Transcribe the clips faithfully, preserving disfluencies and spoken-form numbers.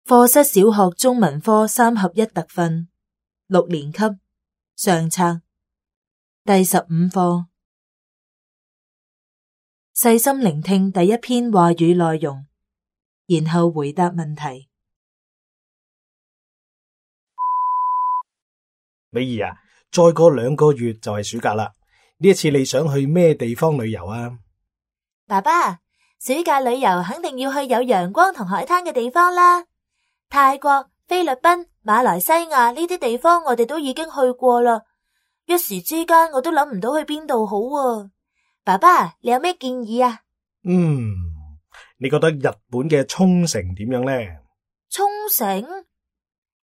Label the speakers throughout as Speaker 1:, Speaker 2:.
Speaker 1: 課室小學中文科三合一特訓，六年級上冊第十五課。細心聆聽第一篇話語內容，然後回答問題。
Speaker 2: 美儀啊，再過兩個月就係暑假啦。呢一次你想去咩地方旅遊啊？
Speaker 1: 爸爸，暑假旅遊肯定要去有陽光同海灘嘅地方啦。泰國、菲律賓、馬來西亞呢啲地方我哋都已經去過啦，一時之間我都諗唔到去邊度好啊。爸爸，你有咩建議啊？
Speaker 2: 嗯，你覺得日本嘅沖繩點樣呢？
Speaker 1: 沖繩？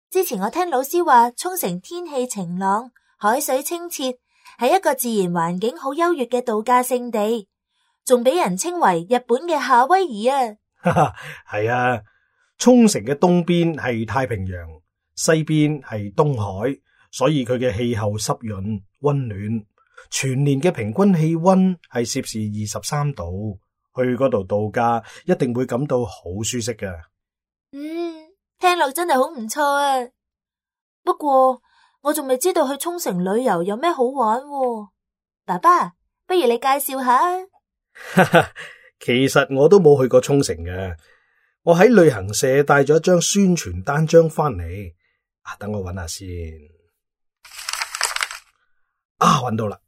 Speaker 1: 之前我聽老師話，沖繩天氣晴朗，海水清澈，係一個自然環境好優越嘅度假勝地，仲俾人稱為日本嘅夏威夷啊！
Speaker 2: 哈哈，係啊，沖繩嘅東邊係太平洋，西邊係東海，所以佢嘅氣候濕潤溫暖，全年嘅平均氣溫係攝氏二十三度，去嗰度度假一定會感到好舒適㗎。
Speaker 1: 嗯，聽落真係好唔錯啊！不過我仲未知道去沖繩旅遊有咩好玩喎。爸爸，不如你介紹下啊。
Speaker 2: 其實我都冇去過沖繩嘅，我喺旅行社帶咗一張宣傳單張翻嚟。啊，等我揾下先。啊，揾到啦，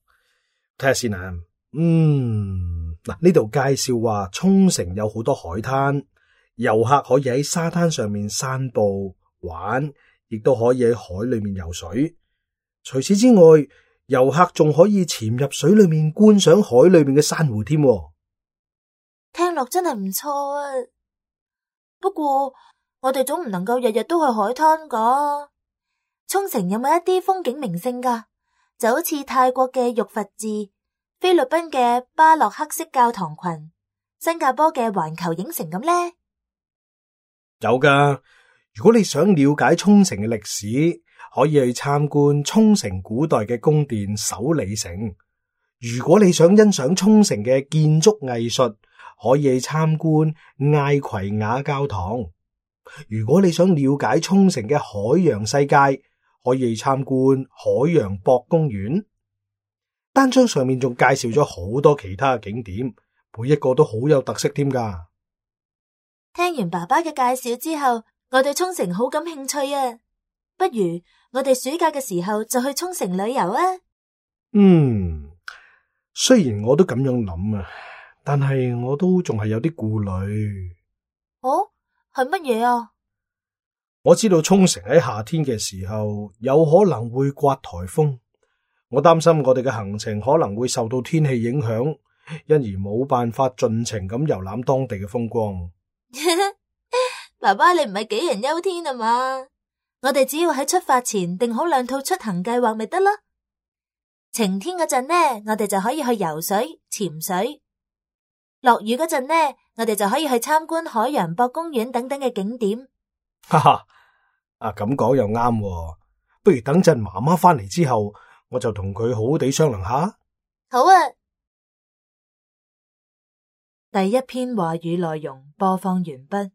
Speaker 2: 睇下先啊。嗯，嗱，呢度介紹話沖繩有好多海灘，遊客可以喺沙灘上面散步玩，亦都可以喺海裏面游水。除此之外，遊客仲可以潛入水裏面觀賞海裏面嘅珊瑚添。
Speaker 1: 聽落真係唔錯啊！不過我哋總唔能夠日日都去海灘噶。沖繩有冇一啲風景名勝噶？就好似泰國嘅玉佛寺、菲律賓嘅巴洛克式教堂群、新加坡嘅環球影城咁呢？
Speaker 2: 有噶，如果你想了解沖繩嘅歷史，可以去參觀沖繩古代嘅宮殿首里城。如果你想欣賞沖繩嘅建築藝術，可以去參觀艾葵雅教堂。如果你想了解沖繩嘅海洋世界，可以去參觀海洋博公園。單張上面仲介紹咗好多其他嘅景點，每一個都好有特色添噶。
Speaker 1: 聽完爸爸嘅介紹之後，我對沖繩好感興趣啊！不如我哋暑假嘅時候就去沖繩旅遊啊！
Speaker 2: 嗯，雖然我都咁樣諗啊，但係我都仲係有啲顧慮。
Speaker 1: 哦，係乜嘢啊？
Speaker 2: 我知道沖繩喺夏天嘅時候有可能會颳颱風，我擔心我哋嘅行程可能會受到天氣影響，因而冇辦法盡情咁遊覽當地嘅風光。
Speaker 1: 爸爸，你唔係杞人憂天啊嘛？我哋只要喺出發前定好兩套出行計劃咪得咯。晴天嗰陣呢，我哋就可以去游水、潛水；落雨嗰陣呢，我哋就可以去參觀海洋博公園等等嘅景點。
Speaker 2: 哈哈，啊咁講又啱喎，不如等陣媽媽翻嚟之後，我就同佢好好地商量下。
Speaker 1: 好啊。第一篇話語內容播放完畢。